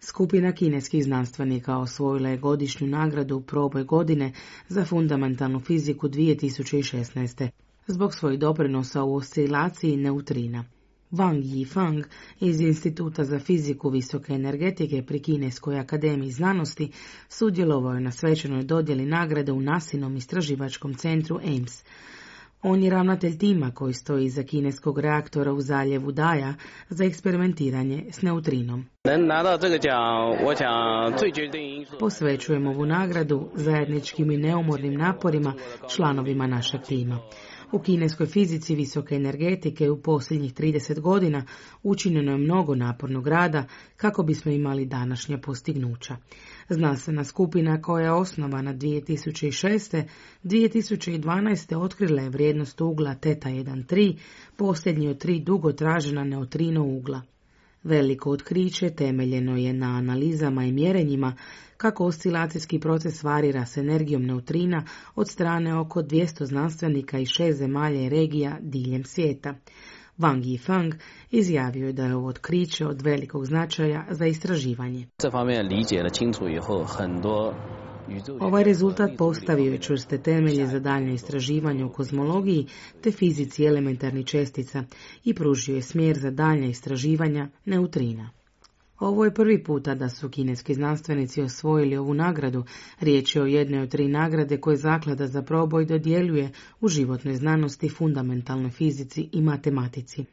Skupina kineskih znanstvenika osvojila je godišnju nagradu Proboj godine za fundamentalnu fiziku 2016. zbog svojih doprinosa u oscilaciji neutrina. Wang Yifang iz Instituta za fiziku visoke energetike pri Kineskoj akademiji znanosti sudjelovao je na svečanoj dodjeli nagrade u NASInom istraživačkom centru Ames. On je ravnatelj tima koji stoji iza kineskog reaktora u zaljevu Daja za eksperimentiranje s neutrinom. Posvećujem ovu nagradu zajedničkim i neumornim naporima članovima našeg tima. U kineskoj fizici visoke energetike u posljednjih 30 godina učinjeno je mnogo napornog rada kako bismo imali današnja postignuća. Znanstvena skupina koja je osnovana 2006. 2012. otkrila je vrijednost ugla Teta 1.3, posljednji od 3 dugo tražena neutrino ugla. Veliko otkriće temeljeno je na analizama i mjerenjima kako oscilacijski proces varira s energijom neutrina od strane oko 200 znanstvenika iz 6 zemalja i regija diljem svijeta. Wang Yifang izjavio je da je ovo otkriće od velikog značaja za istraživanje. Ovaj rezultat postavio je čvrste temelje za daljnje istraživanje u kozmologiji te fizici elementarnih čestica i pružio je smjer za daljnja istraživanja neutrina. Ovo je prvi puta da su kineski znanstvenici osvojili ovu nagradu. Riječ je o jednoj od 3 nagrade koje Zaklada za proboj dodjeljuje u životnoj znanosti, fundamentalnoj fizici i matematici.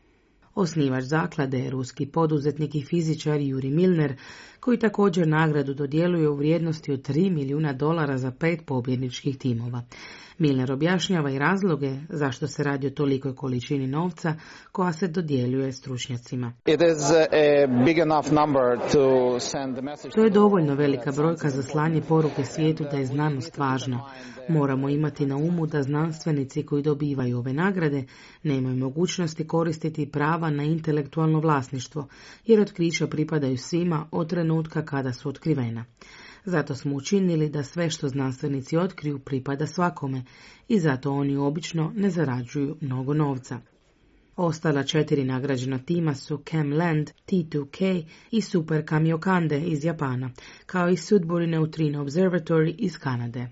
Osnivač zaklade je ruski poduzetnik i fizičar Yuri Milner, koji također nagradu dodjeljuje u vrijednosti od $3 milijuna za 5 pobjedničkih timova. Milner objašnjava i razloge zašto se radi o tolikoj količini novca koja se dodjeljuje stručnjacima. To je dovoljno velika brojka za slanje poruke svijetu da je znanost važna. Moramo imati na umu da znanstvenici koji dobivaju ove nagrade nemaju mogućnosti koristiti prava na intelektualno vlasništvo, jer otkrića pripadaju svima od trenutka kada su otkrivena. Zato smo učinili da sve što znanstvenici otkriju pripada svakome i zato oni obično ne zarađuju mnogo novca. Ostala 4 nagrađena tima su ChemLand, T2K i Super Kamiokande iz Japana, kao i Sudbury Neutrino Observatory iz Kanade.